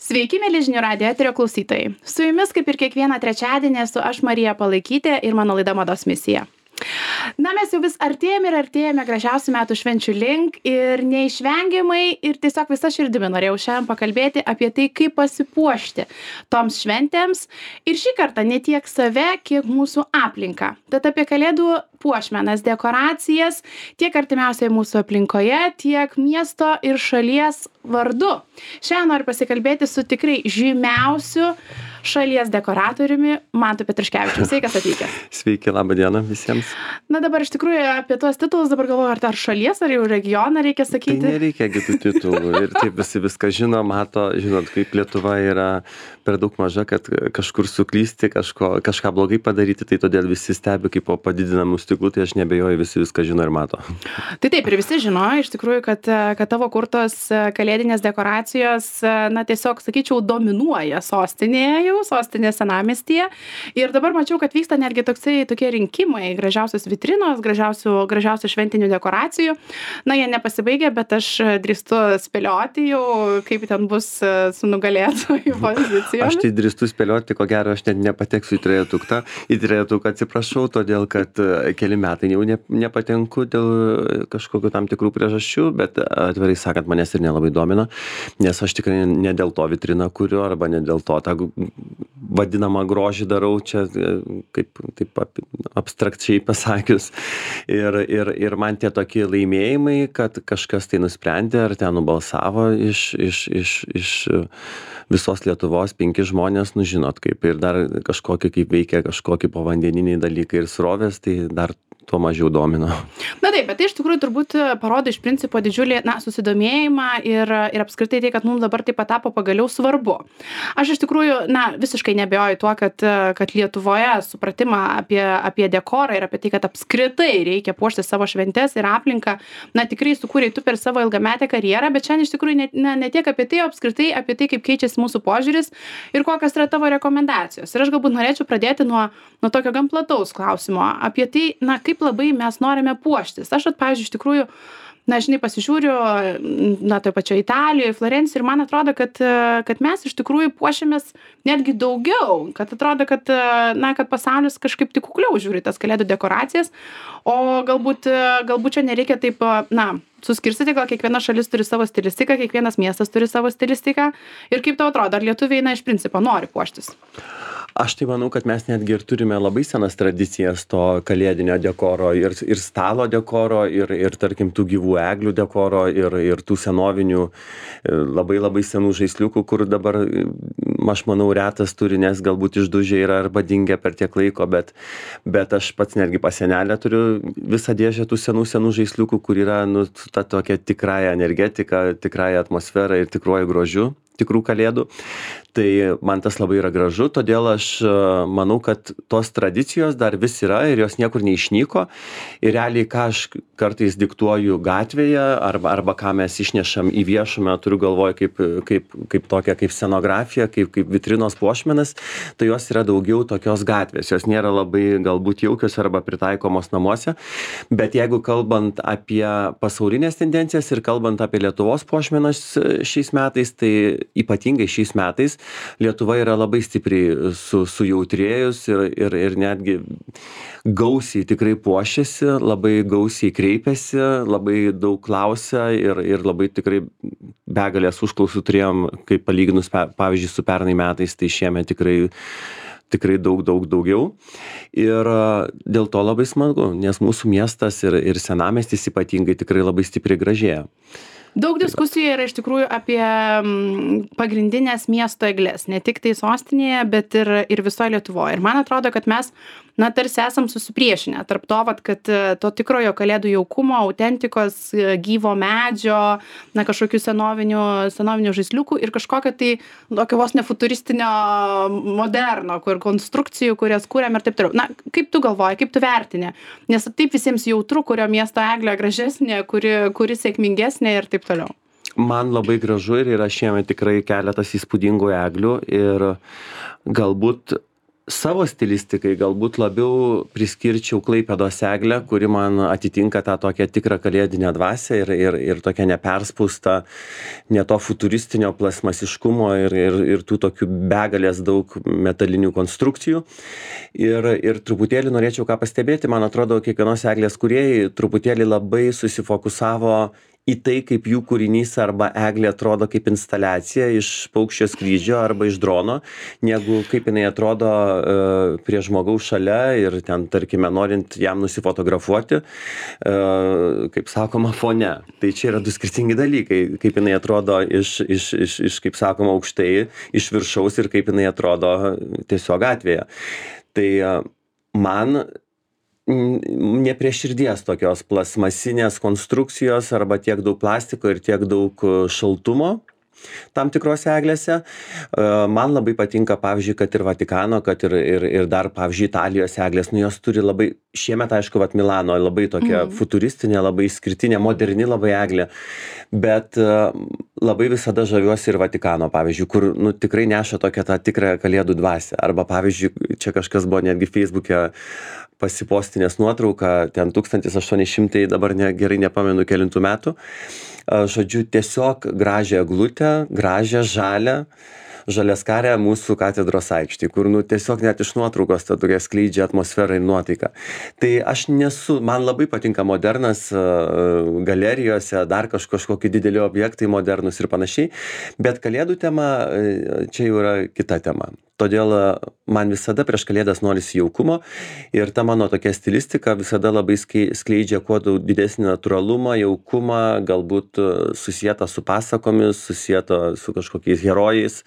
Sveiki, mėly žinių radijo eterio klausytojai. Su jumis, kaip ir kiekvieną trečiadienį, esu aš Marija Palaikytė ir mano laida Mados misija. Na, mes jau vis artėjame gražiausių metų švenčių link ir neišvengiamai ir tiesiog visa širdimi norėjau šiandien pakalbėti apie tai, kaip pasipuošti toms šventėms ir šį kartą ne tiek save, kiek mūsų aplinką. Tad apie kalėdų puošmenas, dekoracijas tiek artimiausiai mūsų aplinkoje, tiek miesto ir šalies vardu. Šiandien noriu pasikalbėti su tikrai žymiausiu šalies dekoratoriumi Mantu Petruškevičiumi. Sveikas atvykęs. Sveiki, labą dieną visiems. Na dabar iš tikrųjų apie tuos titulus dabar galvoju, ar šalies, ar jau regioną reikia sakyti. Tai nereikia kitų titulų ir taip visi viską žino, mato, žinot, kaip Lietuva yra per daug maža, kad kažkur suklysti, kažką blogai padaryti, tai todėl visi stebi kaip po padidinamų stiklų, tai aš nebejoju, visi viską žino ir mato. Tai taip, ir visi žino iš tikrųjų, kad tavo kurtos kalėdinės dekoracijos, na tiesiog, sakyčiau, dominuoja sostinės senamiestyje. Ir dabar mačiau, kad vyksta netgi tokie rinkimai, gražiausios vitrinos, gražiausių šventinių dekoracijų. Na, jie nepasibaigė, bet aš drįstu spėlioti jau, kaip ten bus su nugalėtojų pozicijomis. Aš tai drįstu spėlioti, ko gero, aš net nepateksiu į trejetuką. Į trejetuką atsiprašau, todėl, kad keli metai jau nepatenku dėl kažkokių tam tikrų priežasčių, bet atvirai sakant, manęs ir nelabai domina, nes aš tikrai ne dėl to vitriną kuriu, arba ne dėl to tą vadinamą grožį darau, čia taip abstrakčiai pasakius. Ir man tie tokie laimėjimai, kad kažkas tai nusprendė, ar ten nubalsavo iš visos Lietuvos 5 žmonės, nu žinot kaip, ir dar kažkokie kaip veikia kažkokie povandeniniai dalykai ir srovės, tai dar tuo mažiau domino. Na taip, bet tai iš tikrųjų turbūt parodo iš principo didžiulį susidomėjimą ir apskritai tai, kad mums dabar taip pat tapo pagaliau svarbu. Aš iš tikrųjų, visiškai neabejoju tuo, kad Lietuvoje supratimą apie dekorą ir apie tai, kad apskritai reikia puošti savo šventes ir aplinką, tikrai sukūrei tu per savo ilgametę karjerą, bet šiandien iš tikrųjų ne tiek apie tai, o apskritai apie tai, kaip keičiasi mūsų požiūris ir kokios yra tavo rekomendacijos. Ir aš galbūt norėčiau pradėti nuo tokio gan plataus klausimo apie tai, kaip labai mes norime puoštis. Aš, pavyzdžiui, iš tikrųjų, pasižiūriu, toj pačioje Italijoje, Florencijoje ir man atrodo, kad mes iš tikrųjų puošiamės netgi daugiau, kad atrodo, kad pasaulis kažkaip tik kukliau žiūri tas kalėdų dekoracijas, o galbūt čia nereikia taip, suskirstyti, gal kiekviena šalis turi savo stilistiką, kiekvienas miestas turi savo stilistiką ir kaip tau atrodo, ar lietuviai, iš principo nori puoštis? Aš tai manau, kad mes netgi ir turime labai senas tradicijas to kalėdinio dekoro ir stalo dekoro ir tarkim tų gyvų eglių dekoro ir tų senovinių labai senų žaisliukų, kur dabar, aš manau, retas turi, nes galbūt išdužę yra arba dingę per tiek laiko, bet aš pats netgi pas senelę turiu visą dėžę tų senų žaisliukų, kur yra ta tokia tikrąja energetika, tikrąja atmosfera ir tikruoju grožiu tikrų kalėdų. Tai man tas labai yra gražu, todėl aš manau, kad tos tradicijos dar vis yra ir jos niekur neišnyko. Ir realiai, ką aš kartais diktuoju gatvėje arba ką mes išnešam į viešumą, turiu galvoje kaip tokia, kaip scenografija, kaip vitrinos puošmenas, tai jos yra daugiau tokios gatvės. Jos nėra labai galbūt jaukios arba pritaikomos namuose. Bet jeigu kalbant apie pasaulinės tendencijas ir kalbant apie Lietuvos puošmenas šiais metais, tai ypatingai šiais metais Lietuva yra labai stipriai sujautrėjus ir netgi gausiai tikrai puošiasi, labai gausiai kreipiasi, labai daug klausia ir labai tikrai begalės užklausų turėjom, kaip palyginus, pavyzdžiui, su pernai metais, tai šiemet tikrai daugiau. Ir dėl to labai smagu, nes mūsų miestas ir senamiestis ypatingai tikrai labai stipriai gražėja. Daug diskusijų yra iš tikrųjų apie pagrindinės miesto egles, ne tik tai sostinėje, bet ir visoje Lietuvoje. Ir man atrodo, kad mes, tarsi esam susipriešinę tarp to, kad to tikrojo kalėdų jaukumo, autentikos, gyvo medžio, kažkokių senovinių žaisliukų ir kažkokio tai tokio vos nefuturistinio moderno, kur konstrukcijų, kurias kūrėm ir taip toliau. Kaip tu galvoji, kaip tu vertini? Nes taip visiems jautru, kurio miesto eglė gražesnė, kuri sėkmingesnė ir taip toliau. Man labai gražu ir yra šiemet tikrai keletas įspūdingų eglių ir galbūt savo stilistikai galbūt labiau priskirčiau Klaipėdos eglę, kuri man atitinka tą tokią tikrą kalėdinę dvasią ir tokią neperspustą, ne to futuristinio plasmasiškumo ir tų tokių begalės daug metalinių konstrukcijų. Ir truputėlį norėčiau ką pastebėti, man atrodo, kiekvienos eglės kūrėjai truputėlį labai susifokusavo į tai, kaip jų kūrinys arba eglė atrodo kaip instaliacija iš paukščio skrydžio arba iš drono, negu kaip jinai atrodo prie žmogaus šalia ir ten, tarkime, norint jam nusifotografuoti, kaip sakoma, fone. Tai čia yra du skirtingi dalykai, kaip jinai atrodo iš kaip sakoma, aukštai, iš viršaus ir kaip jinai atrodo tiesiog gatvėje. Tai man ne prie širdies tokios plasmasinės konstrukcijos arba tiek daug plastiko ir tiek daug šaltumo tam tikrose eglėse. Man labai patinka, pavyzdžiui, kad ir Vatikano, kad ir dar, pavyzdžiui, Italijos eglės, jos turi labai, šiemet, aišku, Milano labai tokia futuristinė, labai išskirtinė, moderni labai eglė, bet labai visada žaviuosi ir Vatikano, pavyzdžiui, kur tikrai neša tokią tą tikrą kalėdų dvasią. Arba, pavyzdžiui, čia kažkas buvo netgi Facebook'e pasipostinės nuotrauką, ten 1800, dabar gerai nepamenu kelintų metų, žodžiu, tiesiog gražią eglutę, gražią žaliaskarę mūsų katedros aikštėje, kur tiesiog net iš nuotraukos ta tokia skleidžia atmosferą ir nuotaiką. Tai aš man labai patinka modernas galerijose, dar kažkokie dideli objektai modernus ir panašiai, bet kalėdų tema čia jau yra kita tema. Todėl man visada prieš kalėdas norisi jaukumo ir ta mano tokia stilistika visada labai skleidžia kuo didesnį natūralumą, jaukumą, galbūt susietą su pasakomis, susietą su kažkokiais herojais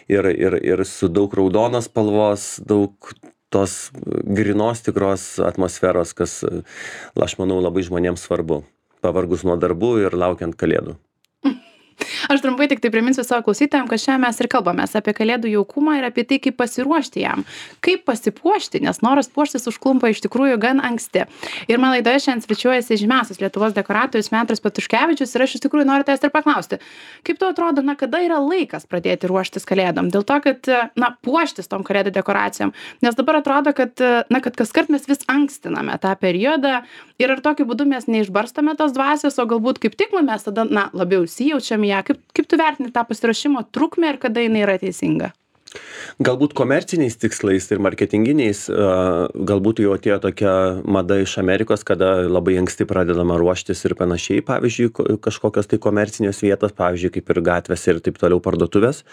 ir su daug raudonos spalvos, daug tos grynos tikros atmosferos, kas, aš manau, labai žmonėms svarbu, pavargus nuo darbų ir laukiant kalėdų. Aš trumpai tik tai priminsiu savo klausytojams, kad šiandien mes ir kalbamės apie kalėdų jaukumą ir apie tai, kaip pasiruošti jam, kaip pasipuošti, nes noras puoštis užklumpa iš tikrųjų gan anksti. Ir man laidoje šiandien svečiuojasi žymiausias Lietuvos dekoratorius Petras Patuškevičius ir aš iš tikrųjų noriu tavęs ir paklausti, kaip tau atrodo, kada yra laikas pradėti ruoštis kalėdom? Dėl to, kad, puoštis tom kalėdų dekoracijom, nes dabar atrodo, kad kaskart mes vis ankstiname tą periodą ir ar tokiu būdu mes neišbarstame tos dvasios, o galbūt kaip tik mes tada, labiau įsijaučiam ją. Kaip tu vertini tą pasiruošimo trukmę ir kada jinai yra teisinga? Galbūt komerciniais tikslais ir marketinginiais, galbūt jau atėjo tokia mada iš Amerikos, kada labai anksti pradedama ruoštis ir panašiai, pavyzdžiui, kažkokios tai komercinės vietos, pavyzdžiui, kaip ir gatvės ir taip toliau parduotuvės.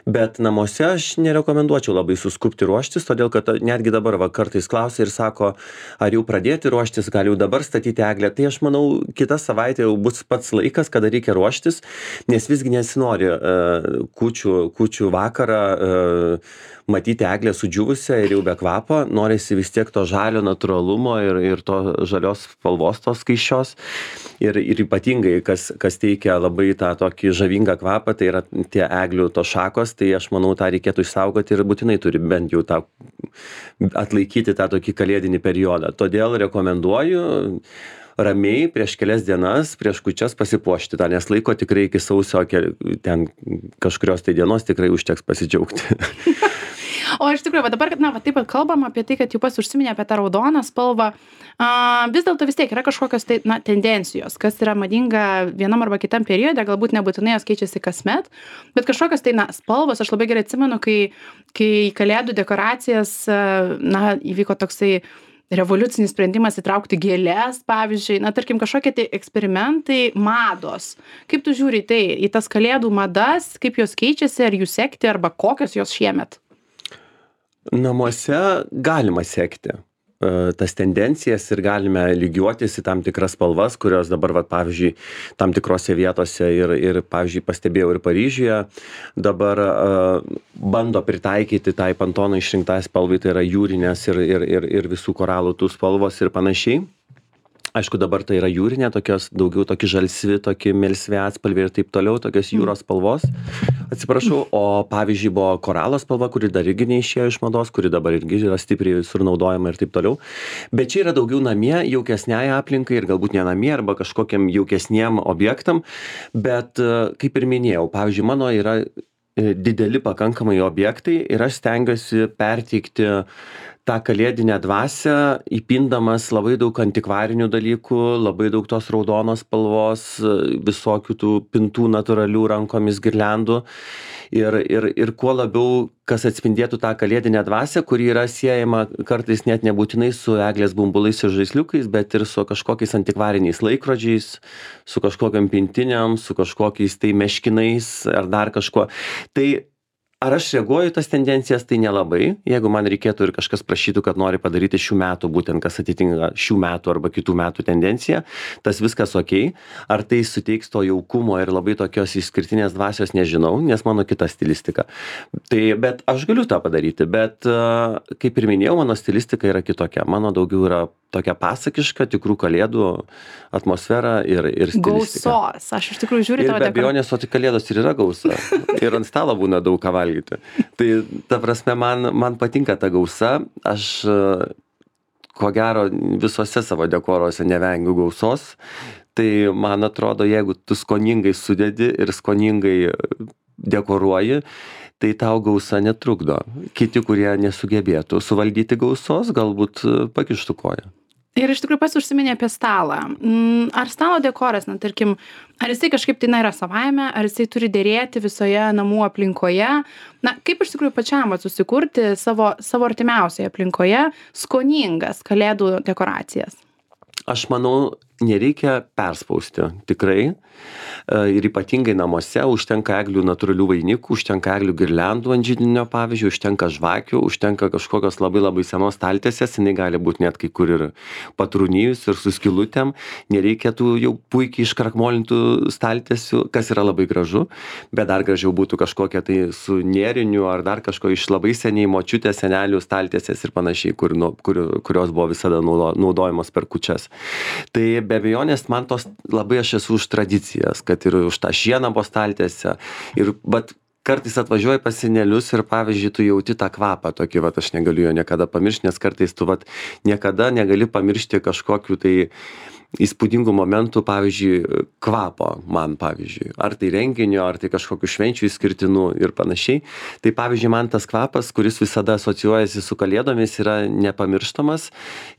Bet namuose aš nerekomenduočiau labai suskubti ruoštis, todėl kad netgi dabar kartais klausia ir sako, ar jau pradėti ruoštis, gal jau dabar statyti eglę. Tai aš manau, kitą savaitę jau bus pats laikas, kada reikia ruoštis, nes visgi nesinori kūčių vakarą matyti eglę sudžiūvusią ir jau be kvapo, norisi vis tiek to žalio natūralumo ir to žalios spalvos tos skaisčios ir ypatingai, kas teikia labai tą tokį žavingą kvapą, tai yra tie eglių to šakos, tai aš manau, tą reikėtų išsaugoti ir būtinai turi bent jau tą atlaikyti tą tokį kalėdinį periodą. Todėl rekomenduoju ramiai prieš kelias dienas, prieš kūčias pasipuošti tą, nes laiko tikrai iki sausio ten kažkurios tai dienos tikrai užteks pasidžiaugti. O iš tikrųjų, dabar, taip pat kalbam apie tai, kad jau pats užsiminė apie tą raudoną spalvą. Vis dėlto vis tiek yra kažkokios tai, tendencijos, kas yra madinga vienam arba kitam periode, galbūt nebūtinai jos keičiasi kasmet, bet kažkokios tai, spalvos, aš labai gerai atsimenu, kai kalėdų dekoracijas, įvyko toksai revoliucinis sprendimas įtraukti gėles, pavyzdžiui, tarkim, kažkokie tai eksperimentai, mados. Kaip tu žiūri į tai, į tas kalėdų madas, kaip jos keičiasi, ar jų sekti, arba kokios jos šiemet? Namuose galima sekti tas tendencijas ir galime lygiuotis į tam tikras spalvas, kurios dabar, pavyzdžiui, tam tikrose vietose ir pavyzdžiui, pastebėjau ir Paryžiuje, dabar bando pritaikyti tai Pantono išrinktai spalvai, tai yra jūrinės ir visų koralų tų spalvos ir panašiai. Aišku, dabar tai yra jūrinė, tokios daugiau tokie žalsvi, tokie melsvi atspalviai ir taip toliau, tokios jūros spalvos. Atsiprašau, o pavyzdžiui buvo koralo spalva, kuri dar irgi neišėjo iš mados, kuri dabar irgi yra stipriai visur naudojama ir taip toliau. Bet čia yra daugiau namie, jaukesniai aplinkai ir galbūt ne namie arba kažkokiam jaukesniem objektam. Bet kaip ir minėjau, pavyzdžiui, mano yra dideli pakankamai objektai ir aš stengiuosi perteikti tą kalėdinę dvasią, įpindamas labai daug antikvarinių dalykų, labai daug tos raudonos spalvos, visokių tų pintų natūralių rankomis girliandų. Ir kuo labiau, kas atspindėtų tą kalėdinę dvasią, kuri yra siejama kartais net nebūtinai su eglės bumbulais ir žaisliukais, bet ir su kažkokiais antikvariniais laikrodžiais, su kažkokiam pintiniam, su kažkokiais tai meškinais ar dar kažkuo. Tai ar aš reaguoju į tas tendencijas, tai nelabai. Jeigu man reikėtų ir kažkas prašytų, kad nori padaryti šių metų, būtent kas atitinka šių metų arba kitų metų tendenciją, tas viskas okei. Ar tai suteiks to jaukumo ir labai tokios išskirtinės dvasios, nežinau, nes mano kita stilistika. Tai, bet aš galiu tą padaryti, bet kaip ir minėjau, mano stilistika yra kitokia. Mano daugiau yra tokia pasakiška, tikrų kalėdų atmosfera ir stilistika. Gausos. Aš iš tikrųjų žiūriu tavo dekoracijas. Ir be abejonės, o tai kalėdos ir yra gausa. Ir ant stalo būna daug ką valgyti. Tai ta prasme, man patinka ta gausa. Aš ko gero visose savo dekoruose nevengiu gausos. Tai man atrodo, jeigu tu skoningai sudedi ir skoningai dekoruoji, tai tau gausa netrukdo. Kiti, kurie nesugebėtų suvaldyti gausos, galbūt pakištų koją. Ir iš tikrųjų pats užsiminė apie stalą. Ar stalo dekoras, na tarkim, ar jisai kažkaip tai yra savaime, ar jisai turi dėrėti visoje namų aplinkoje? Na, kaip iš tikrųjų pačiam susikurti savo artimiausioje aplinkoje skoningas kalėdų dekoracijas? Aš manau, nereikia perspausti, tikrai. Ir ypatingai namuose užtenka eglių natūralių vainikų, užtenka eglių girliandų ant židinio, pavyzdžiui, užtenka žvakių, užtenka kažkokios labai senos staltiesės, jinai gali būti net kai kur ir patrūnijus ir su skylutėm. Nereikia tų jau puikiai iškrakmolintų staltiesių, kas yra labai gražu, bet dar gražiau būtų kažkokia tai su nėriniu ar dar kažko iš labai seniai močiutės, senelių staltiesės ir panašiai, kurios buvo visada naudojamos per kūčias. Tai be abejonės man tos labai aš esu už tradicijas, kad ir už tą šieną po staltiesę. Bet kartais atvažiuoji pas senelius ir pavyzdžiui, tu jauti tą kvapą tokį, aš negaliu jo niekada pamiršti, nes kartais tu niekada negali pamiršti kažkokių tai įspūdingų momentų, pavyzdžiui, kvapo man, pavyzdžiui. Ar tai renginio, ar tai kažkokių švenčių išskirtinų ir panašiai. Tai pavyzdžiui, man tas kvapas, kuris visada asocijuojasi su kalėdomis, yra nepamirštamas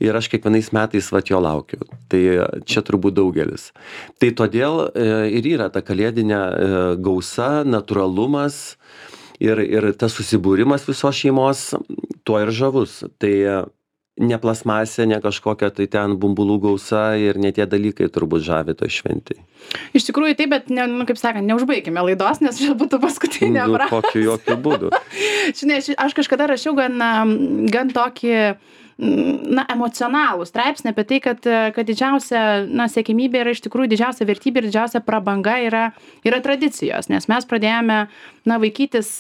ir aš kiekvienais metais jo laukiu. Tai čia turbūt daugelis. Tai todėl ir yra ta kalėdinė gausa, natūralumas ir tas susibūrimas visos šeimos, tuo ir žavus. Tai ne plasmasė, ne kažkokia tai ten bumbulų gausa ir ne tie dalykai turbūt žavi toj šventėj. Iš tikrųjų taip, bet kaip sakant, neužbaikime laidos, nes čia būtų paskutinė frazė. Kokiu jokiu būdu. Žinai, aš kažkada rašiau gan tokį emocionalų straipsnį apie tai, kad didžiausia siekiamybė yra iš tikrųjų didžiausia vertybė ir didžiausia prabanga yra tradicijos, nes mes pradėjome vaikytis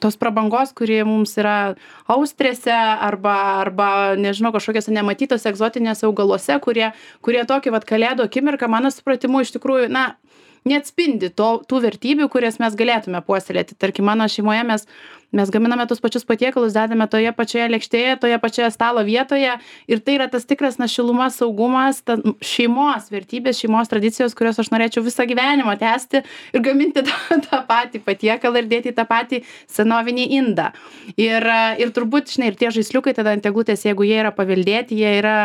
tos prabangos, kuri mums yra austrėse arba nežinau, kažkokiose nematytose egzotinėse augaluose, kurie tokį kalėdų akimirką, mano supratimu, iš tikrųjų, neatspindi tų vertybių, kurias mes galėtume puoselėti. Tarkim, mano šeimoje mes gaminame tus pačius patiekalus, dedame toje pačioje lėkštėje, toje pačioje stalo vietoje ir tai yra tas tikras šiluma, saugumas, šeimos vertybės, šeimos tradicijos, kurios aš norėčiau visą gyvenimą tęsti ir gaminti tą patį patiekalą ir dėti į tą patį senovinį indą. Ir turbūt, žinai, ir tie žaisliukai tada ant eglutės, jeigu jie yra paveldėti, jie yra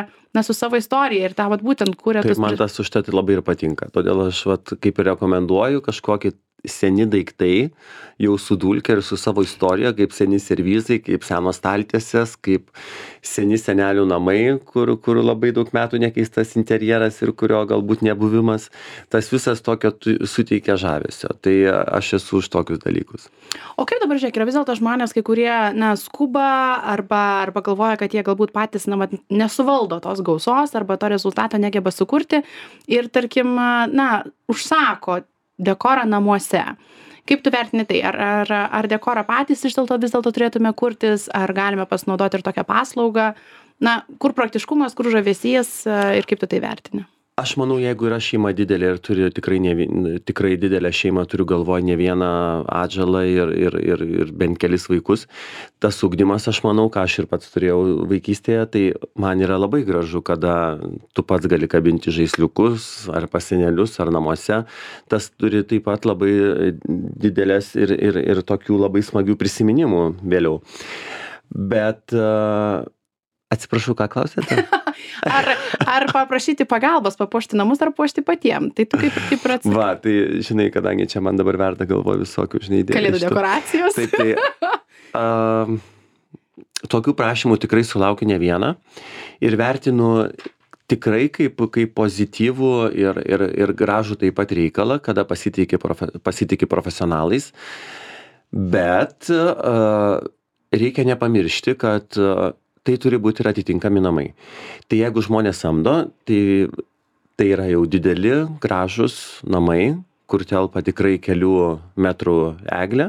su savo istorija ir tą būtent kūrė. Taip, man tas užtat labai ir patinka. Todėl aš kaip ir rekomenduoju kažkokį seni daiktai, jau su dulke ir su savo istorija, kaip seni servizai, kaip senos staltiesės, kaip seni senelių namai, kur labai daug metų nekeistas interjeras ir kurio galbūt nebuvimas, tas visas tokio suteikia žavesio. Tai aš esu už tokius dalykus. O kaip dabar, žiūrėk, yra vis dėlto žmonės, kai kurie skuba arba galvoja, kad jie galbūt patys nesuvaldo tos gausos arba to rezultato negeba sukurti ir, tarkim, užsako dekorą namuose. Kaip tu vertini tai? Ar dekorą patys vis dėlto turėtume kurtis, ar galime pasinaudoti ir tokią paslaugą? Kur praktiškumas, kur žavesys ir kaip tu tai vertini? Aš manau, jeigu yra šeima didelė ir turi tikrai didelę šeimą, turiu galvoj ne vieną atžalą ir bent kelis vaikus, tas ugdymas, aš manau, ką aš ir pats turėjau vaikystėje, tai man yra labai gražu, kada tu pats gali kabinti žaisliukus ar pas senelius ar namuose. Tas turi taip pat labai didelės ir tokių labai smagių prisiminimų vėliau. Bet atsiprašau, ką klausėte? Ar paprašyti pagalbos, papuošti namus, ar puošti patiem? Tai tu kaip ir atsakai. Va, tai žinai, kadangi čia man dabar verda galvo visokių, žinai, idėjų. Kalėdų dekoracijos. Taip, tokių prašymų tikrai sulaukiu ne vieną ir vertinu tikrai kaip pozityvų ir gražų taip pat reikalą, kada pasitiki profesionalais, bet reikia nepamiršti, kad tai turi būti ir atitinkami namai. Tai jeigu žmonės samdo, tai yra jau dideli, gražus namai, kur telpa tikrai kelių metrų eglė,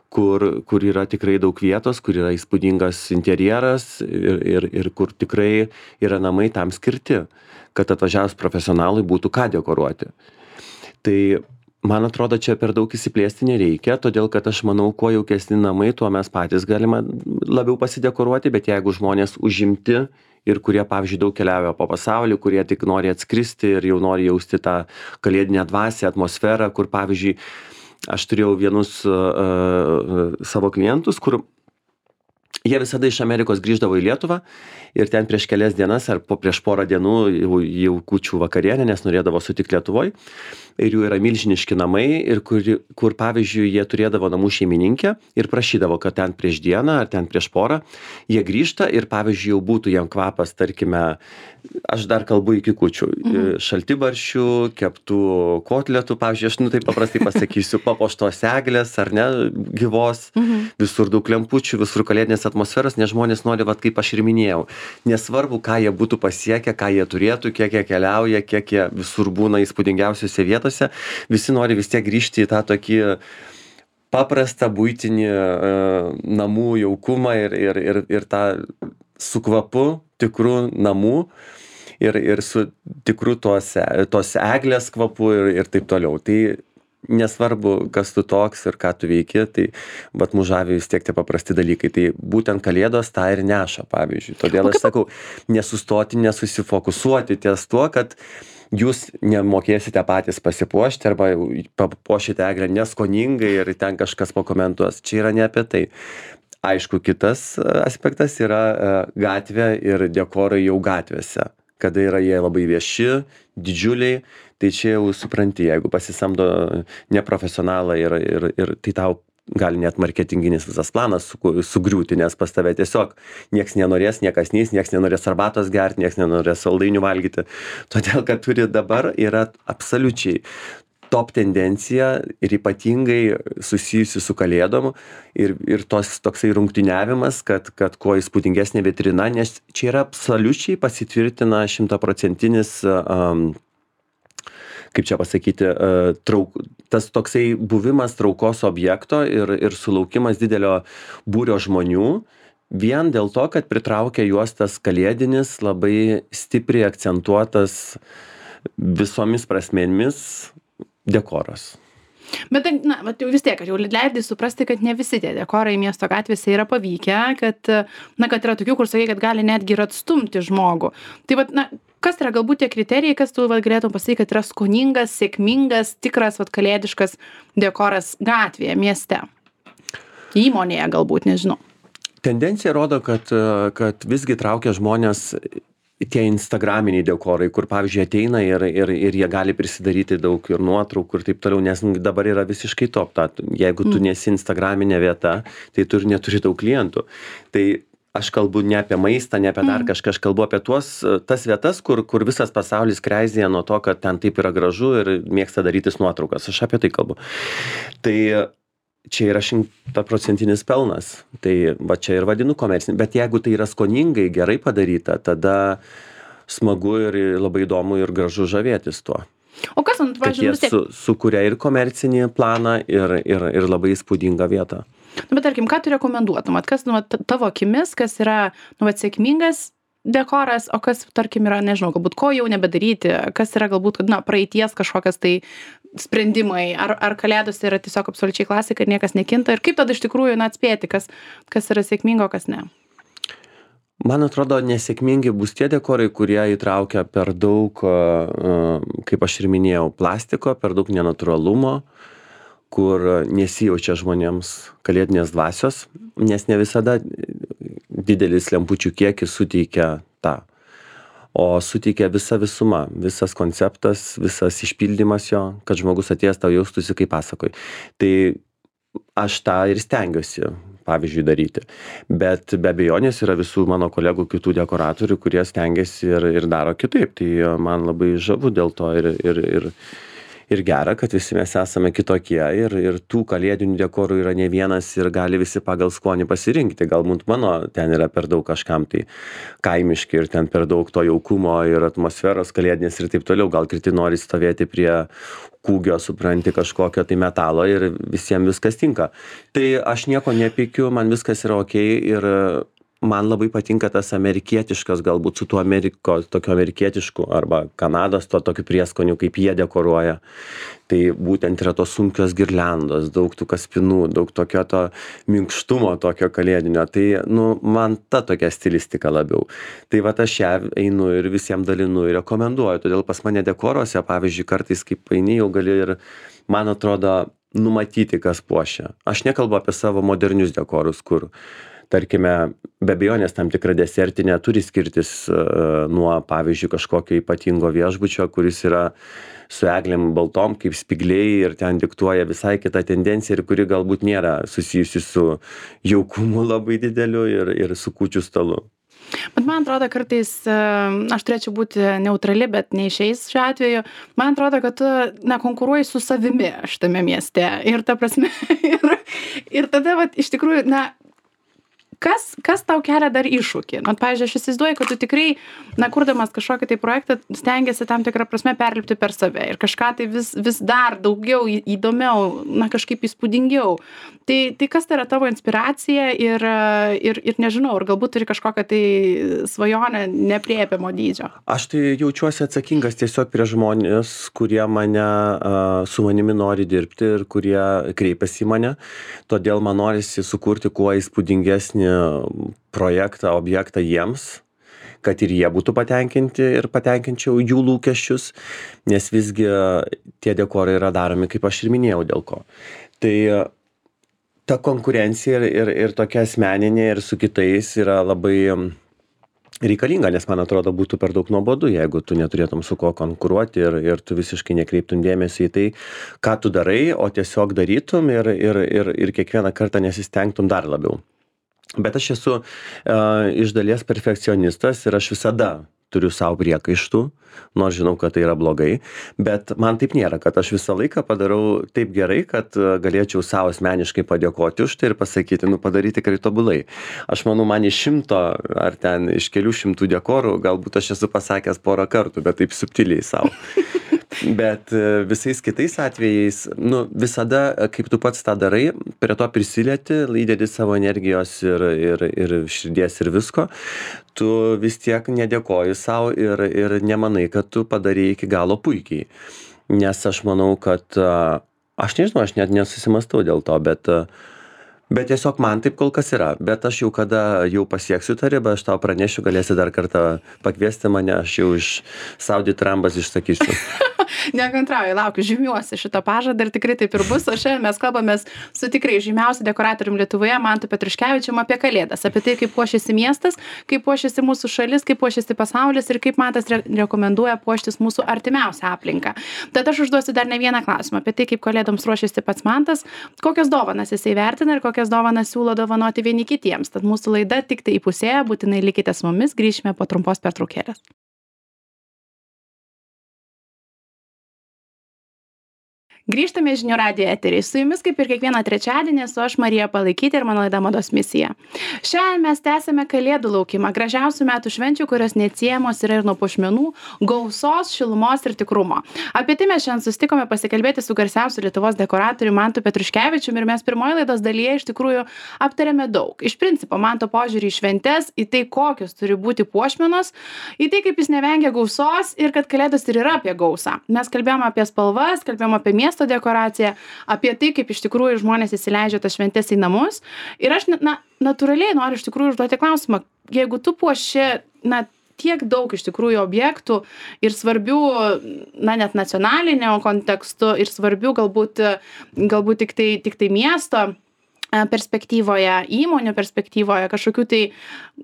kur yra tikrai daug vietos, kur yra įspūdingas interjeras ir kur tikrai yra namai tam skirti, kad atvažiavus profesionalui būtų ką dekoruoti. Tai man atrodo, čia per daug įsiplėsti nereikia, todėl kad aš manau, kuo jaukesni namai, tuo mes patys galime labiau pasidekoruoti, bet jeigu žmonės užimti ir kurie, pavyzdžiui, daug keliauja po pasaulį, kurie tik nori atskristi ir jau nori jausti tą kalėdinę dvasią, atmosferą, kur, pavyzdžiui, aš turėjau vienus savo klientus, kur jie visada iš Amerikos grįždavo į Lietuvą ir ten prieš kelias dienas ar prieš porą dienų jau kūčių vakarienę, nes norėdavo sutikti Lietuvoj. Ir jų yra milžiniški namai, ir kur pavyzdžiui, jie turėdavo namų šeimininkę ir prašydavo, kad ten prieš dieną ar ten prieš porą jie grįžta ir, pavyzdžiui, jau būtų jam kvapas, tarkime, aš dar kalbu iki kūčių, šaltibarščių, keptų kotletų, pavyzdžiui, aš taip paprastai pasakysiu, papuoštos eglės ar ne, gyvos, visur daug lempučių, visur kalėdinės atmosferos, nes žmonės nori, vat, kaip aš ir minėjau, nesvarbu, ką jie būtų pasiekę, ką jie turėtų, kiek jie keliauja, kiek jie visur būna įspūdingiausiose vietose, visi nori vis tiek grįžti į tą tokį paprastą buitinį namų jaukumą ir tą su kvapu tikrų namų ir su tikru tos eglės kvapu ir taip toliau. Tai nesvarbu, kas tu toks ir ką tu veiki, tai vat mus žavi vis tiek tie paprasti dalykai. Tai būtent kalėdos tą ir neša, pavyzdžiui. Todėl aš sakau, nesustoti, nesusifokusuoti ties tuo, kad jūs nemokėsite patys pasipuošti arba papuošite eglę neskoningai ir ten kažkas pakomentuos. Čia yra ne apie tai. Aišku, kitas aspektas yra gatvė ir dekorai jau gatvėse. Kada yra jie labai vieši, didžiuliai, tai čia jau supranti, jeigu pasisamdo neprofesionalą ir tai tau gali net marketinginis visas planas sugriūti, nes pas tave tiesiog nieks nenorės, niekas neis, nieks nenorės arbatos gerti, nieks nenorės saldainių valgyti. Todėl, kad turi dabar yra absoliučiai top tendencija ir ypatingai susijusi su kalėdom ir toksai rungtyniavimas, kad kuo įspūdingesnė vitrina, nes čia yra absoliučiai pasitvirtina 100%, kaip čia pasakyti, tas toksai buvimas traukos objekto ir sulaukimas didelio būrio žmonių, vien dėl to, kad pritraukia juos tas kalėdinis, labai stipriai akcentuotas visomis prasmėmis dekoras. Bet, na, jau vis tiek, kad jau leidai suprasti, kad ne visi tie dekorai miesto gatvėse yra pavykę, kad yra tokių, kur sakai, kad gali netgi ir atstumti žmogų. Tai, kas yra galbūt tie kriterijai, kas tu galėtum pasakyti, kad yra skoningas, sėkmingas, tikras, kalėdiškas dekoras gatvėje, mieste? Įmonėje galbūt, nežinau. Tendencija rodo, kad visgi traukia žmonės tie instagraminiai dekorai, kur, pavyzdžiui, ateina ir jie gali prisidaryti daug ir nuotraukų ir taip toliau, nes dabar yra visiškai top. Jeigu tu nesi instagraminė vieta, tai tu ir neturi daug klientų. Tai aš kalbu ne apie maistą, ne apie dar kažką, aš kalbu apie tas vietas, kur visas pasaulis kreizėja nuo to, kad ten taip yra gražu ir mėgsta darytis nuotraukas. Aš apie tai kalbu. Tai čia yra 100% pelnas. Tai va čia ir vadinu komercinį. Bet jeigu tai yra skoningai, gerai padaryta, tada smagu ir labai įdomu ir gražu žavėtis tuo. O kas, pavyzdžiui, kad jie sukuria ir komercinį planą, ir labai įspūdingą vietą. Bet tarkim, ką tu rekomenduotum? Kas tavo akimis, kas yra sėkmingas dekoras, o kas, tarkim, yra, nežinau, galbūt ko jau nebedaryti, kas yra galbūt, na, praeities kažkokias tai sprendimai, ar kalėdos yra tiesiog absoliučiai klasika ir niekas nekinta, ir kaip tada iš tikrųjų, na, atspėti, kas yra sėkmingo, kas ne. Man atrodo, nesėkmingi bus tie dekorai, kurie įtraukia per daug, kaip aš ir minėjau, plastiko, per daug nenatūralumo, kur nesijaučia žmonėms kalėdinės dvasios, nes ne visada didelis lempučių kiekis suteikia tą. O suteikia visa visuma, visas konceptas, visas išpildymas jo, kad žmogus atėjęs tau jaustųsi kaip pasakoj. Tai aš tą ir stengiuosi, pavyzdžiui, daryti. Bet be abejonės yra visų mano kolegų kitų dekoratorių, kurie stengiasi ir daro kitaip. Tai man labai žavu dėl to ir gera, kad visi mes esame kitokie ir tų kalėdinių dekorų yra ne vienas ir gali visi pagal skonį pasirinkti. Galbūt mano ten yra per daug kažkam tai kaimiški ir ten per daug to jaukumo ir atmosferos kalėdinės ir taip toliau. Gal kiti nori stovėti prie kūgio, supranti, kažkokio tai metalo ir visiems viskas tinka. Tai aš nieko nepykiu, man viskas yra okei ir man labai patinka tas amerikietiškas, galbūt su tuo tokiu amerikietišku arba Kanados to tokiu prieskoniu, kaip jie dekoruoja. Tai būtent yra tos sunkios girliandos, daug tų kaspinų, daug tokio to minkštumo tokio kalėdinio. Tai, man ta tokia stilistika labiau. Tai va aš ją einu ir visiems dalinu ir rekomenduoju. Todėl pas mane dekoruose, pavyzdžiui, kartais kaip eini jau gali ir, man atrodo, numatyti, kas puošia. Aš nekalbu apie savo modernius dekorus, kur tarkime, be abejonės tam tikra desertinė turi skirtis nuo, pavyzdžiui, kažkokio ypatingo viešbučio, kuris yra su eglėm baltom kaip spygliai ir ten diktuoja visai kitą tendenciją ir kuri galbūt nėra susijusi su jaukumu labai dideliu ir su kūčių stalu. Bet man atrodo, kartais aš turėčiau būti neutrali, bet neišeis šiuo atveju. Man atrodo, kad tu, konkuruoji su savimi šitame mieste. Ir ta prasme, ir tada, iš tikrųjų, kas tau kelia dar iššūkį? Pavyzdžiui, aš įsivaizduoju, kad tu tikrai, kurdamas kažkokį tai projektą, stengiasi tam tikrą prasme perlipti per save ir kažką tai vis dar daugiau įdomiau, kažkaip įspūdingiau. Tai kas tai yra tavo inspiracija ir nežinau, ar galbūt turi kažkokią tai svajonę nepriepiamo dydžio? Aš tai jaučiuosi atsakingas tiesiog prie žmonės, kurie su manimi nori dirbti ir kurie kreipiasi į mane. Todėl man norisi sukurti kuo įspūdingesnį projektą, objektą jiems, kad ir jie būtų patenkinti ir patenkinčiau jų lūkesčius, nes visgi tie dekorai yra daromi, kaip aš ir minėjau, dėl ko. Tai ta konkurencija ir tokia asmeninė ir su kitais yra labai reikalinga, nes man atrodo būtų per daug nuobodu, jeigu tu neturėtum su kuo konkuruoti ir tu visiškai nekreiptum dėmesį į tai, ką tu darai, o tiesiog darytum ir kiekvieną kartą nesistengtum dar labiau. Bet aš esu iš dalies perfekcionistas ir aš visada turiu savo priekaištų, nors žinau, kad tai yra blogai, bet man taip nėra, kad aš visą laiką padarau taip gerai, kad galėčiau savo asmeniškai padėkoti už tai ir pasakyti, padaryti tikrai tobulai. Aš manau, man iš 100 ar ten iš kelių šimtų dekorų, galbūt aš esu pasakęs porą kartų, bet taip subtiliai savo. Bet visais kitais atvejais, visada, kaip tu pats tą darai, prie to prisilieti, įdedi savo energijos ir širdies ir visko, tu vis tiek nedėkoji savo ir nemanai, kad tu padarei iki galo puikiai. Nes aš manau, kad, aš nežinau, aš net nesusimastau dėl to, bet tiesiog man taip kol kas yra. Bet aš jau kada jau pasieksiu tą ribą, aš tau pranešiu, galėsi dar kartą pakviesti mane, aš jau iš Saudi Trambas išsakysiu. Nekantrauju, laukiu, žymiuosi šitą pažadą ir tikrai taip ir bus. O šiandien mes kalbamės su tikrai žymiausiu dekoratorium Lietuvoje, Mantu Petruškevičiumi, apie Kalėdas, apie tai, kaip puošiasi miestas, kaip puošiasi mūsų šalis, kaip puošiasi pasaulis ir kaip Mantas rekomenduoja puoštis mūsų artimiausią aplinką. Tad aš užduosiu dar ne vieną klausimą apie tai, kaip Kalėdoms ruošiasi pats Mantas, kokias dovanas jisai vertina ir kokias dovanas siūlo dovanoti vieni kitiems. Tad mūsų laida tik tai įpusėja, būtinai likite su mumis, grįšime po trumpos pertraukėlės. Grįžtame į žinių radijo eterį. Su jumis kaip ir kiekvieną trečiadienį esu aš Marija Palaikytė ir mano laida Mados misija. Šiandien mes tęsime Kalėdų laukimą, gražiausių metų švenčių, kurios neatsiejamos yra ir nuo puošmenų, gausos, šilumos ir tikrumo. Apie tai mes šiandien susitikome pasikalbėti su garsiausiu Lietuvos dekoratoriumi Mantu Petruškevičiumi ir mes pirmoje laidos dalyje iš tikrųjų aptarėme daug. Iš principo Manto požiūrį į šventes, į tai, kokios turi būti puošmenos, į tai, kaip jis nevengia gausos ir kad Kalėdos ir yra apie gausą. Mes kalbėjome apie spalvas, kalbėjome apie miesto dekoraciją, apie tai, kaip iš tikrųjų žmonės įsileidžia tas šventes į namus. Ir aš natūraliai noriu iš tikrųjų užduoti klausimą, jeigu tu puoši, tiek daug iš tikrųjų objektų ir svarbių, net nacionalinio kontekstu ir svarbių galbūt tik tai miesto perspektyvoje, įmonių perspektyvoje, kažkokių tai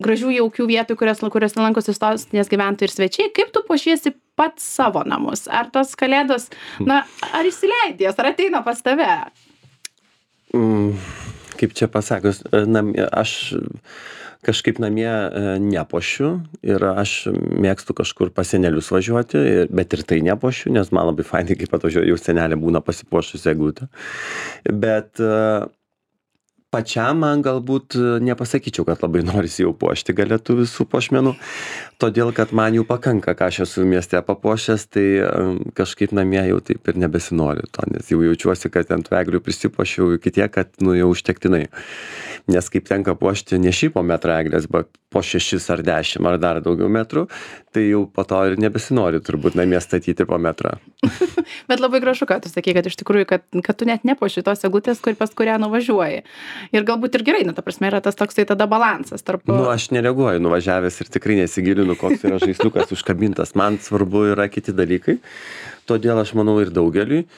gražių jaukių vietų, kuriuose lankosi sostinės gyventojai ir svečiai, kaip tu puošiesi pats savo namus? Ar tos Kalėdos, ar įsileidės, ar ateina pas tave? Kaip čia pasakius, aš kažkaip namie nepuošiu ir aš mėgstu kažkur pas senelius važiuoti, bet ir tai nepuošiu, nes man labai fainai, kaip atvažiuoju, jau senelė būna pasipuošusi eglutę. Bet pačiam man galbūt nepasakyčiau, kad labai norisi jau puošti galėtų visų puošmenų, todėl kad man jų pakanka, ką aš esu mieste papuošęs, tai kažkaip namie jau taip ir nebesinori to, nes jau jaučiuosi, kad ant eglių prisipuošiau iki tiek, kad jau užtektinai. Nes kaip tenka puošti ne šiaip po metrą eglės, bet po 6 ar 10 ar dar daugiau metrų, tai jau po to ir nebesinori turbūt namie statyti po metrą. Bet labai gražu, kad tu sakai, kad iš tikrųjų, kad tu net nepuoši tos eglutės, pas kurią nuvažiuoji. Ir galbūt ir gerai, ta prasme, yra tas toksai tada balansas tarp... Aš nereaguoju nuvažiavęs ir tikrai nesigilinu, koks yra žaisliukas užkabintas. Man svarbu yra kiti dalykai, todėl aš manau ir daugeliui.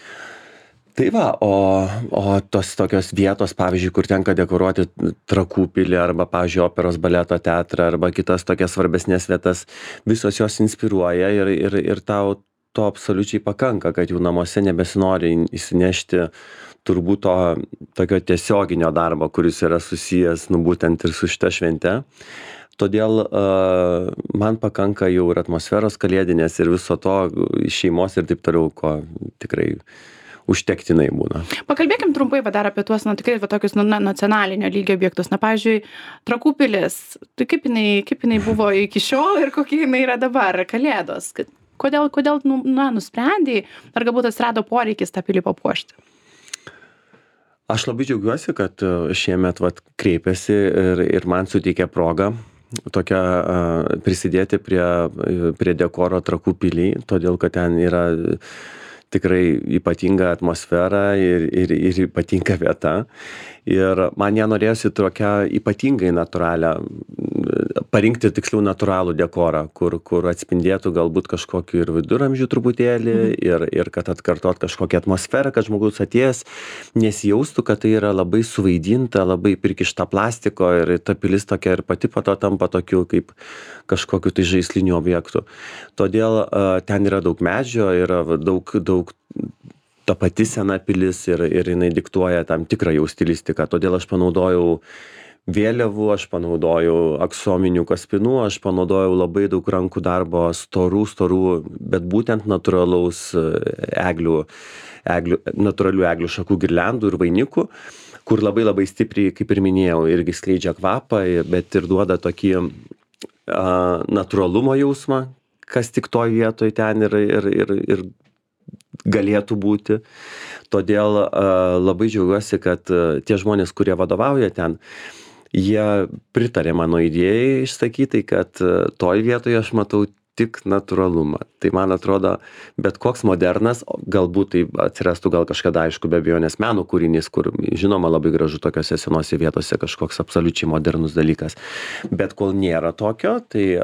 Tai va, o tos tokios vietos, pavyzdžiui, kur tenka dekoruoti Trakų pilį arba, pavyzdžiui, operos baleto teatrą arba kitas tokias svarbesnės vietas, visos jos inspiruoja ir tau to absoliučiai pakanka, kad jų namuose nebesinori įsinešti turbūt to tokio tiesioginio darbo, kuris yra susijęs, būtent ir su šita švente. Todėl man pakanka jau ir atmosferos kalėdinės ir viso to šeimos ir taip toliau, ko tikrai užtektinai būna. Pakalbėkim trumpai dar apie tuos, tikrai tokius nacionalinio lygio objektus. Pavyzdžiui, Trakų pilis, tai kaip jinai buvo iki šiol ir kokia jinai yra dabar, Kalėdos? Kodėl nusprendei, ar galbūt atsirado poreikis tą pilį papuošti? Aš labai džiaugiuosi, kad šiemet kreipėsi ir man suteikė progą tokią prisidėti prie dekoro Trakų pilį, todėl kad ten yra tikrai ypatinga atmosfera ir ypatinga vieta. Ir man ją norėjosi tokią ypatingai natūralią, parinkti tiksliau natūralų dekorą, kur atspindėtų galbūt kažkokį ir viduramžių truputėlį ir kad atkartot kažkokią atmosferą, kad žmogus atėjęs nesijaustų, kad tai yra labai suvaidinta, labai prikišta plastiko ir ta pilis tokia ir pati po to tampa tokiu kaip kažkokiu tai žaisliniu objektu. Todėl ten yra daug medžio, yra daug ta pati sena pilis ir jinai diktuoja tam tikrą jau stilistiką. Todėl aš panaudojau vėliavų, aš panaudojau aksominių kaspinų, aš panaudojau labai daug rankų darbo, storų, bet būtent natūralaus natūralių eglių šakų girliandų ir vainikų, kur labai stipriai, kaip ir minėjau, irgi skleidžia kvapą, bet ir duoda tokį natūralumo jausmą, kas tik toj vietoj ten ir galėtų būti. Todėl labai džiaugiuosi, kad tie žmonės, kurie vadovauja ten, jie pritarė mano idėjai išsakytai, kad toj vietoje aš matau tik natūralumą. Tai man atrodo, bet koks modernas, galbūt tai atsirastų gal kažkada, aišku, be abejonės meno kūrinys, kur žinoma labai gražu tokiose senose vietose kažkoks absoliučiai modernus dalykas. Bet kol nėra tokio, tai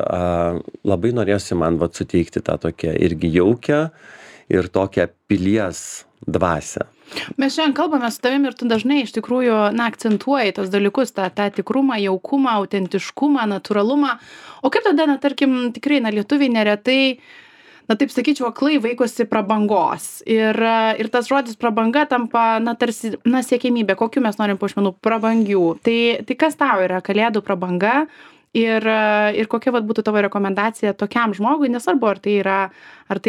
labai norėjosi man suteikti tą tokią irgi jaukę ir tokią pilies dvasią. Mes šiandien kalbame su tavim ir tu dažnai iš tikrųjų akcentuoji tos dalykus, tą tikrumą, jaukumą, autentiškumą, natūralumą. O kaip tada, tarkim, tikrai, lietuviai neretai, taip sakyčiau, aklai vaikosi prabangos. Ir tas žodis prabanga tampa, tarsi, siekiamybė, kokiu mes norim puošmenų prabangių. Tai kas tau yra Kalėdų prabanga ir kokia vat būtų tavo rekomendacija tokiam žmogui, nesvarbu, ar tai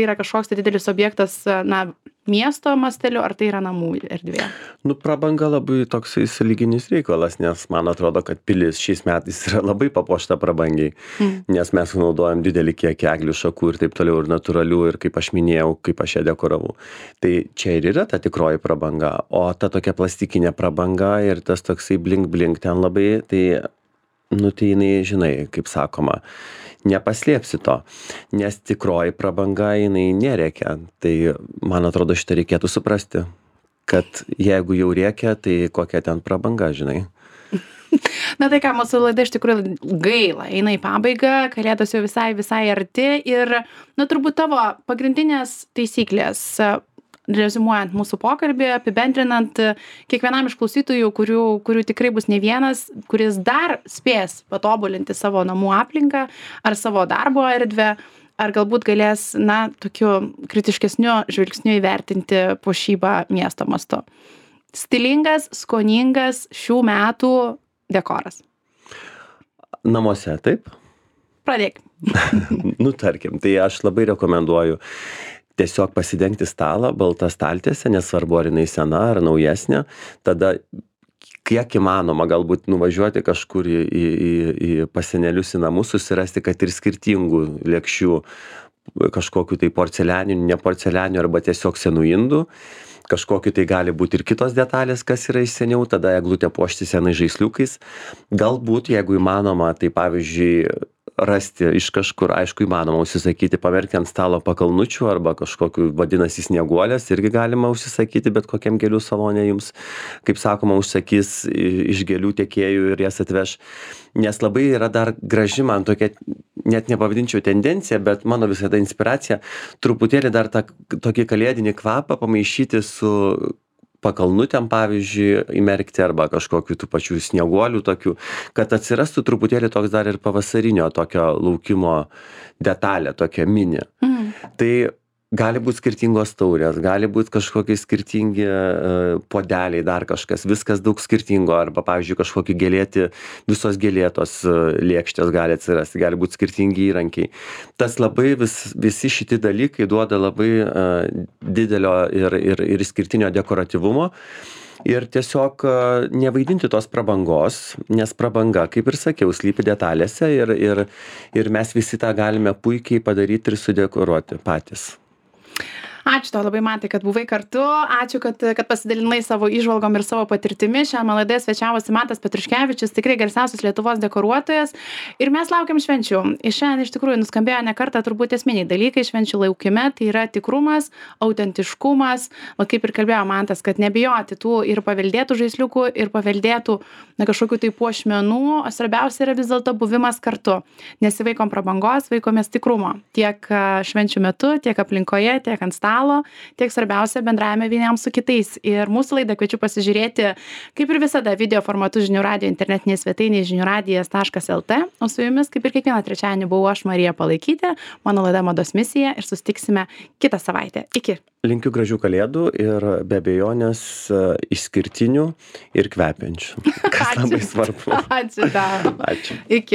yra kažkoks tai didelis objektas, na, miesto masteliu, ar tai yra namų erdvė? Nu, prabanga labai toksai sąlyginis reikalas, nes man atrodo, kad pilis šiais metais yra labai papuošta prabangiai, nes mes naudojam didelį kiekį eglių šakų ir taip toliau, ir natūralių, ir kaip aš minėjau, kaip aš ją dekoravau. Tai čia ir yra ta tikroji prabanga, o ta tokia plastikinė prabanga ir tas toksai blink ten labai, tai, nu, tai jinai, žinai, kaip sakoma, nepaslėpsi to, nes tikroji prabanga jinai nerėkia. Tai, man atrodo, šitą reikėtų suprasti, kad jeigu jau rėkia, tai kokia ten prabanga, žinai. Na tai ką, mūsų laida iš tikrųjų gaila, eina į pabaigą, kalėdos jau visai arti ir, na, turbūt tavo pagrindinės taisyklės, reziumuojant mūsų pokalbį, apibendrinant kiekvienam iš klausytojų, kurių tikrai bus ne vienas, kuris dar spės patobulinti savo namų aplinką ar savo darbo erdvę, ar galbūt galės, na, tokiu kritiškesniu žvilgsniu įvertinti puošybą miesto mastu. Stilingas, skoningas šių metų dekoras. Namuose, taip? Pradėkim. Nu, tarkim, tai aš labai rekomenduoju tiesiog pasidengti stalą, baltą staltiesę, nesvarbu ar jinai sena ar naujesnė, tada kiek įmanoma galbūt nuvažiuoti kažkur į pasenelius į namus, susirasti, kad ir skirtingų lėkščių, kažkokiu tai porcelianiniu, ne porcelianiniu arba tiesiog senų indų, kažkokiu tai gali būti ir kitos detalės, kas yra iš seniau, tada eglutę puošti senais žaisliukais. Galbūt, jeigu įmanoma, tai pavyzdžiui, rasti iš kažkur, aišku, įmanoma užsisakyti, pamerkti ant stalo pakalnučių arba kažkokiu vadinasi snieguolės, irgi galima užsisakyti, bet kokiam gėlių salone jums, kaip sakoma, užsakys iš gėlių tiekėjų ir jas atveš. Nes labai yra dar graži man tokia, net nepavadinčiau tendencija, bet mano visada inspiracija, truputėlį dar tą tokį kalėdinį kvapą pamaišyti su pakalnutėm, pavyzdžiui, įmerkti arba kažkokiu tų pačių snieguolių tokių, kad atsirastų truputėlį toks dar ir pavasarinio tokio laukimo detalė, tokia mini. Tai gali būti skirtingos taurės, gali būti kažkokie skirtingi podeliai, dar kažkas, viskas daug skirtingo, arba, pavyzdžiui, kažkokie gėlėti, visos gėlėtos lėkštės gali atsirasti, gali būti skirtingi įrankiai. Tas labai visi šiti dalykai duoda labai didelio ir išskirtinio dekoratyvumo. Ir tiesiog nevaidinti tos prabangos, nes prabanga, kaip ir sakiau, slypi detalėse ir mes visi tą galime puikiai padaryti ir sudekoruoti patys. Ačiū tau labai, Mantai, kad buvai kartu. Ačiū, kad pasidalinai savo įžvalgom ir savo patirtimi. Šią laidoje svečiavosi Mantas Petruškevičius, tikrai garsiausias Lietuvos dekoruotojas. Ir mes laukiam švenčių. Ir šiandien iš tikrųjų nuskambėjo ne kartą turbūt esminiai dalykai švenčių laukime. Tai yra tikrumas, autentiškumas. O kaip ir kalbėjo Mantas, kad nebijoti tų ir paveldėtų žaisliukų, ir paveldėtų kažkokių tai puošmenų. O svarbiausia yra vis dėlto buvimas kartu. Nesivaikom prabangos, vaikomės tikrumo. Tiek švenčių metu, tiek aplinkoje, tiek ant stalo. Tiek svarbiausia bendravime vieniems su kitais. Ir mūsų laidą kviečiu pasižiūrėti, kaip ir visada, video formatu žinių radijo internetinėje svetainėje žiniųradijas.lt. O su jumis, kaip ir kiekvieną trečiadienį, buvau aš, Marija Palaikytė, mano laida Mados misija ir susitiksime kitą savaitę. Iki. Linkiu gražių kalėdų ir be abejonės išskirtinių ir kvepiančių. Kas labai svarbu. Ačiū tau. Ačiū. Iki.